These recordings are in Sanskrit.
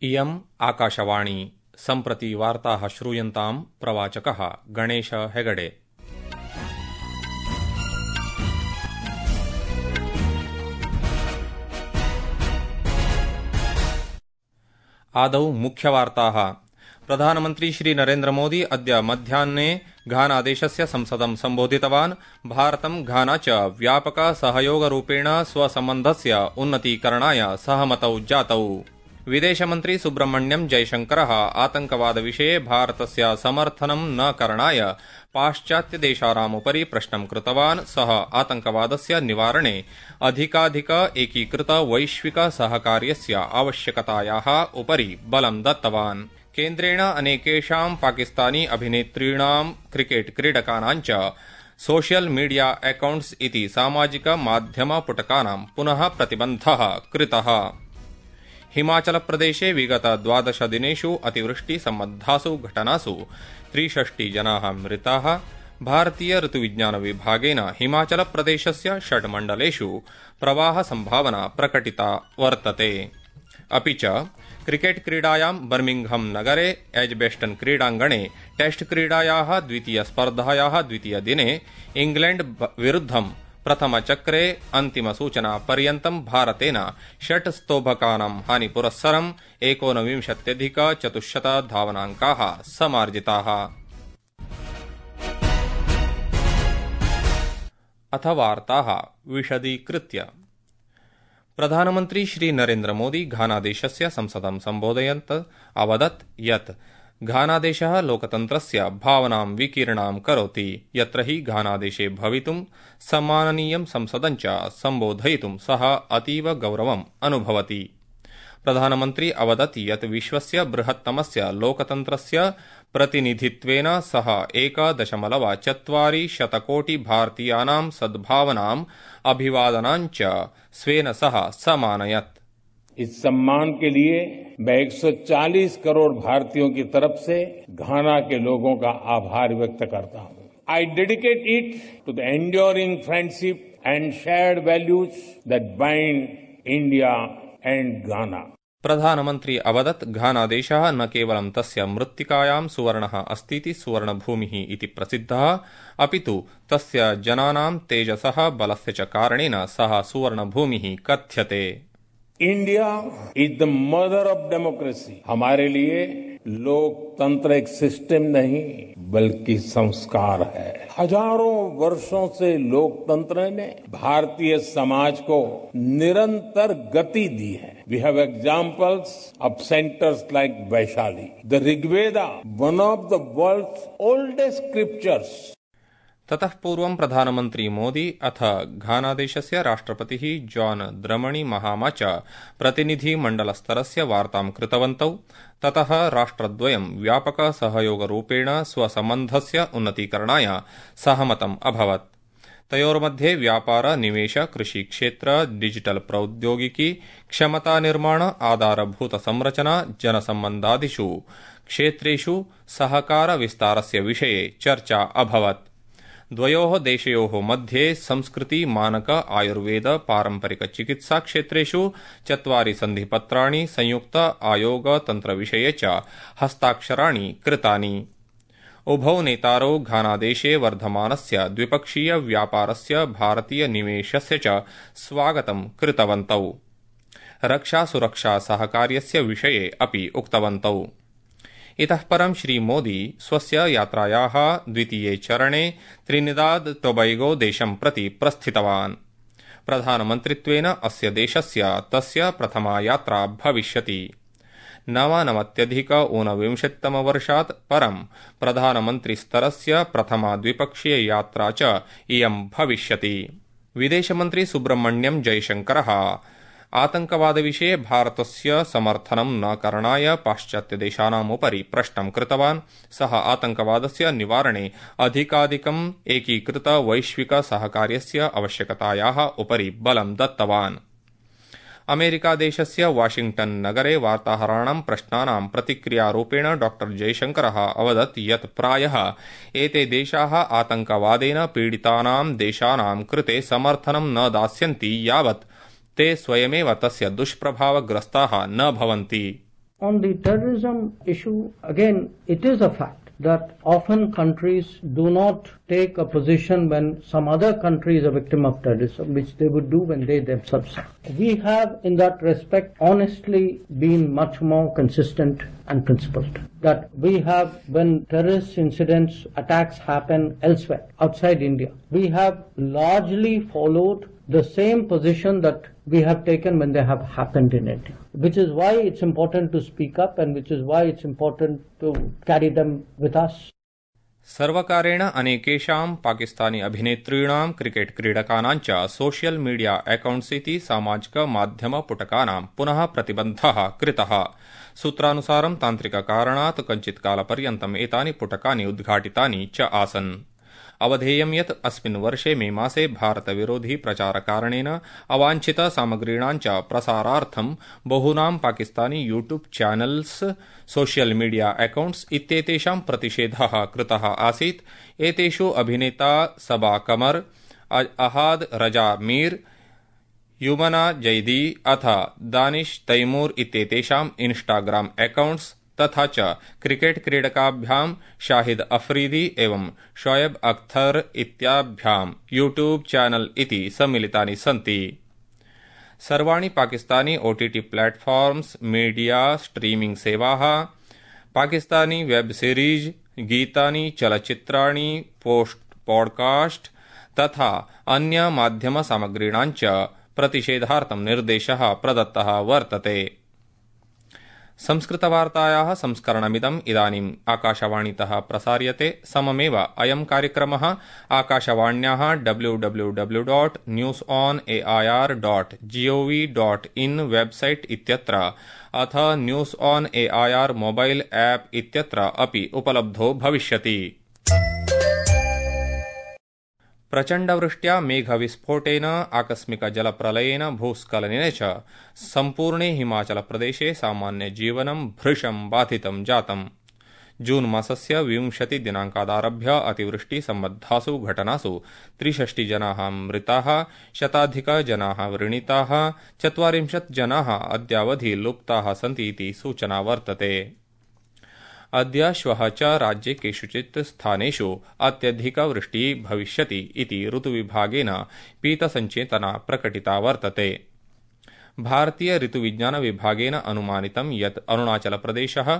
इयम् आकाशवाणी सम्प्रति वार्ताः श्रूयन्ताम् प्रवाचकः गणेश हेगडे। आदौ मुख्यवार्ताः। प्रधानमन्त्री श्री नरेन्द्र मोदी अद्य मध्याह्ने घानादेशस्य संसदं सम्बोधितवान्। भारतं घाना च व्यापक सहयोगरूपेण स्वसम्बन्धस्य उन्नतीकरणाय सहमतौ जातौ। विदेशमन्त्री सुब्रह्मण्यम् जयशंकरः आतंकवादविषये भारतस्य समर्थनं न करणाय पाश्चात्यदेशानामुपरि प्रश्नं कृतवान्। सः आतंकवादस्य निवारणे अधिकाधिक एकीकृत वैश्विक सहकार्यस्य आवश्यकतायाः उपरि बलं दत्तवान्। केन्द्रेण अनेकेषां पाकिस्तानी अभिनेतॄणां क्रिकेट क्रीडकानां च सोशल मीडिया अकाउंट्स इति सामाजिक माध्यम पुटकानां पुनः प्रतिबन्धः कृतः। हिमाचलप्रदेशे विगत 12 दिनेषु अतिवृष्टि सम्बद्धासु घटनासु 63 जनाः मृताः। भारतीय ऋतुविज्ञान विभागेन हिमाचलप्रदेशस्य 6 मण्डलेषु प्रवाह संभावना प्रकटिता वर्तते। अपि च क्रिकेट क्रीडायां बर्मिंघम नगरे एजबेस्टन क्रीडाङ्गणे टेस्ट क्रीडायाः द्वितीयस्पर्धायाः द्वितीयदिने इंग्लैंड विरुद्धं प्रथमचक्रे अन्तिमसूचनापर्यन्तं भारतेन 6 स्तोभकानां हानिपुरस्सरं 19,400 धावनाङ्काः समार्जिताः। अथ वार्ताः विशदीकृत्य। प्रधानमन्त्री श्री नरेन्द्र मोदी घानादेशस्य संसदं सम्बोधयन् अवदत् यत् घानादेशः लोकतन्त्रस्य भावनां विकीर्णां करोति, यत्र हि घानादेशे भवितुं सम्माननीयं संसदं च सम्बोधयितुं सः अतीव गौरवम् अनुभवति। प्रधानमन्त्री अवदत् यत् विश्वस्य बृहत्तमस्य लोकतन्त्रस्य प्रतिनिधित्वेन सः 1.4 कोटि भारतीयानां सद्भावनाम् अभिवादनां च स्वेन सह समानयत्। इस सम्मान के लिए मैं 140 करोड़ भारतीयों की तरफ से घाना के लोगों का आभार व्यक्त करता हूं। I dedicate it to the enduring friendship and shared values that bind India and Ghana. प्रधानमन्त्री अवदत् घानादेशः न केवलं तस्य मृत्तिकायां सुवर्णः अस्तीति सुवर्णभूमिः इति प्रसिद्धः, अपि तु तस्य जनानां तेजसः बलस्य च कारणेन सः सुवर्णभूमिः कथ्यते। India is the mother of democracy. हमारे लिए लोकतंत्र एक सिस्टम नहीं बल्कि संस्कार है। हजारों वर्षों से लोकतंत्र ने भारतीय समाज को निरंतर गति दी है। We have examples of centres like Vaishali, the Rigveda, one of the world's oldest scriptures. ततः पूर्वं प्रधानमन्त्री मोदी अथ घानादेशस्य राष्ट्रपतिः जॉन द्रमणी महामा च प्रतिनिधिमण्डलस्तरस्य वार्तां कृतवन्तौ। ततः राष्ट्रद्वयं व्यापक सहयोगरूपेण स्वसम्बन्धस्य उन्नतीकरणाय सहमतम् अभवत्। तयोर्मध्ये व्यापार, निवेश, कृषिक्षेत्र, डिजिटल प्रौद्योगिकी, क्षमतानिर्माण, आधारभूत संरचना, जनसम्बन्धादिषु क्षेत्रेषु सहकार विस्तारस्य विषये चर्चा अभवत्। द्वयोः देशयोः मध्ये संस्कृति, मानक, आयुर्वेद, पारंपरिक चिकित्सा क्षेत्रेषु 4 सन्धिपत्राणि, संयुक्त आयोग तन्त्रविषये च हस्ताक्षराणि कृतानि। उभौ नेतारौ घानादेशे वर्धमानस्य द्विपक्षीय व्यापारस्य, भारतीय निवेशस्य च स्वागतं कृतवन्तौ। रक्षा सुरक्षा सहकार्यस्य विषये अपि उक्तवन्तौ। इतः परं श्री मोदी स्वस्य यात्रायाः द्वितीये चरणे त्रिनिदाद टोबैगो देशं प्रति प्रस्थितवान्। प्रधानमन्त्रित्वेन अस्य देशस्य तस्य प्रथमा यात्रा भविष्यति। 99 वर्षात् परं प्रधानमन्त्रिस्तरस्य प्रथमा द्विपक्षीय यात्रा च इयं भविष्यति। विदेशमन्त्री सुब्रह्मण्यम् जयशंकरः आतंकवादविषये भारतस्य समर्थनं न करणाय पाश्चात्यदेशानामुपरि प्रश्नं कृतवान्। सः आतंकवादस्य निवारणे अधिकाधिकम् एकीकृत वैश्विक सहकार्यस्य आवश्यकतायाः उपरि बलं दत्तवान्। अमेरिकादेशस्य वाशिंग्टन नगरे वार्ताहराणां प्रश्नानां प्रतिक्रियारूपेण डॉ जयशंकरः अवदत् यत् प्रायः एते देशाः आतंकवादेन पीडितानां देशानां कृते समर्थनं न दास्यन्ति यावत् ते स्वयमेव तस्य दुष्प्रभावग्रस्ताः न भवन्ति। On the terrorism issue, again, it is a fact that often countries do not take a position when some other country is a victim of terrorism, which they would do when they themselves are. We have, in that respect, honestly been much more consistent and principled. That we have, when terrorist incidents, attacks happen elsewhere, outside India, we have largely followed the same position that we have taken when they have happened in India, which is why it's important to speak up and which is why it's important to carry them with us. सर्वकारेण अनेकेषां पाकिस्तानी अभिनेतॄणां क्रिकेट क्रीडकानां च सोशल मीडिया अकाउंट्स् इति सामाजिक माध्यम पुटकानां पुनः प्रतिबन्धः कृतः। सूत्रानुसारं तान्त्रिककारणात् कञ्चित् कालपर्यन्तम् एतानि पुटकानि उद्घाटितानि च आसन्। अवधेयं यत् अस्मिन् वर्षे मे मासे भारतविरोधी प्रचारकारणेन अवाञ्छित सामग्रीणां च प्रसारार्थं बहूनां Pakistani YouTube channels social media accounts इत्येतेषां प्रतिषेधः कृतः आसीत्। एतेषु अभिनेता सबा कमर, अहाद रजा मीर, युमना जैदी अथ दानिश तैमूर इत्येतेषां इंस्टाग्राम अकाउंट्स् तथा च क्रिकेट क्रीडकाभ्यां शाहिद अफरीदी एवं शोएब अख्तर इत्याभ्यां यूट्यूब चैनल इति सम्मिलितानि सन्ति। सर्वाणि Pakistani OTT platforms, media streaming सेवाः, पाकिस्तानी वेब सीरीज, गीतानि, चलच्चित्राणि, पॉडकास्ट तथा अन्य माध्यम सामग्रीणां च प्रतिषेधार्थं निर्देशः प्रदत्तः वर्तते। संस्कृतवार्तायाः संस्करणमिदम् इदानीम् आकाशवाणीतः प्रसार्यते। सममेव अयं कार्यक्रमः आकाशवाण्याः www.newsonair.gov.in वेबसाइट इत्यत्र अथ news on AIR mobile app इत्यत्र अपि उपलब्धो भविष्यति। प्रचण्डवृष्ट्या मेघविस्फोटेन आकस्मिक जलप्रलयेन भूस्खलनेन च सम्पूर्णे हिमाचलप्रदेशे सामान्यजीवनं भृशं बाधितं जातम्। जून मासस्य 20 दिनाङ्कादारभ्य अतिवृष्टिसम्बद्धासु घटनासु 63 जनाः मृताः, शताधिकजनाः व्रणिताः, 40 जनाः अद्यावधि लुप्ताः सन्ति इति सूचना वर्तते। अद्य श्वः च राज्ये केषुचित् स्थानेषु अत्यधिकवृष्टिः भविष्यति इति ऋतुविभागेन पीतसञ्चेतना प्रकटिता वर्तते। भारतीय ऋतुविज्ञान विभागेन अनुमानितं यत् अरुणाचलप्रदेशः,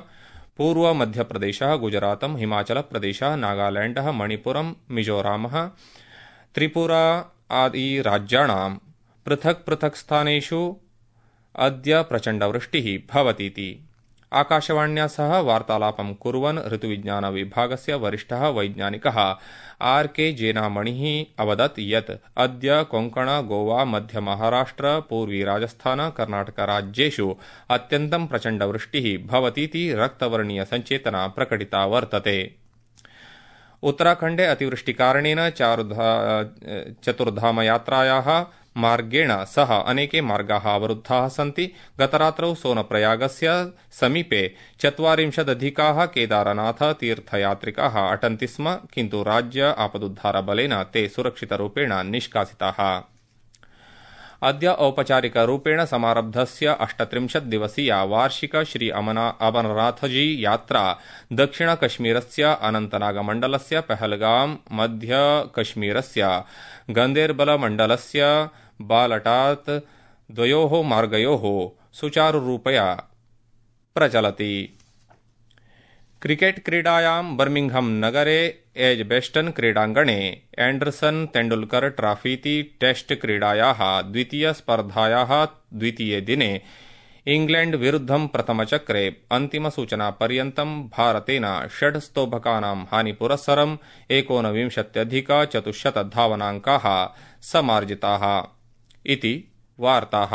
पूर्वमध्यप्रदेशः, गुजरातम्, हिमाचलप्रदेशः, नागालैण्डः, मणिपुरम्, मिजोरामः, त्रिपुरा आदि राज्याणां पृथक् पृथक् स्थानेषु अद्य प्रचण्डवृष्टिः भवतीति आकाशवाण्या सह वार्तालापं कुर्वन् ऋतुविज्ञान विभागस्य वरिष्ठः वैज्ञानिकः आर.के. जेनामणिः अवदत् यत् अद्य कोंकण, गोवा, मध्य महाराष्ट्र, पूर्वी राजस्थान, कर्णाटक राज्येषु अत्यन्तं प्रचण्डवृष्टिः भवतीति रक्तवर्णीय सञ्चेतना प्रकटिता वर्तते। उत्तराखण्डे अतिवृष्टिकारणेन चतुर्धामयात्रायाः मार्गेण सह अनेके मार्गाः अवरुद्धाः सन्ति। गतरात्रौ सोनप्रयागस्य समीपे 40 केदारनाथ तीर्थयात्रिकाः अटन्ति स्म, किन्तु राज्य आपदुद्धारबलेन ते सुरक्षितरूपेण निष्कासिताः। अद्य औपचारिकरूपेण समारब्धस्य 38 दिवसीया वार्षिक श्री अमरनाथजी यात्रा दक्षिणकश्मीरस्य अनन्तनागमण्डलस्य पहलगाम, मध्यकश्मीरस्य गन्देरबलमण्डलस्य बालटात् द्वयोः मार्गयोः सुचारुरूपया प्रचलति। क्रिकेट क्रीडायां बर्मिंघम नगरे एजबेस्टन क्रीडाङ्गणे एंडरसन तेंडुलकर ट्रॉफीति टेस्ट क्रीडायाः द्वितीयस्पर्धायाः द्वितीये दिने इंग्लैंड विरुद्धं प्रथमचक्रे अन्तिमसूचनापर्यन्तं भारतेन 6 स्तोभकानां हानिपुरस्सरं 19,400 धावनाङ्काः समार्जिताः इति वार्ताः।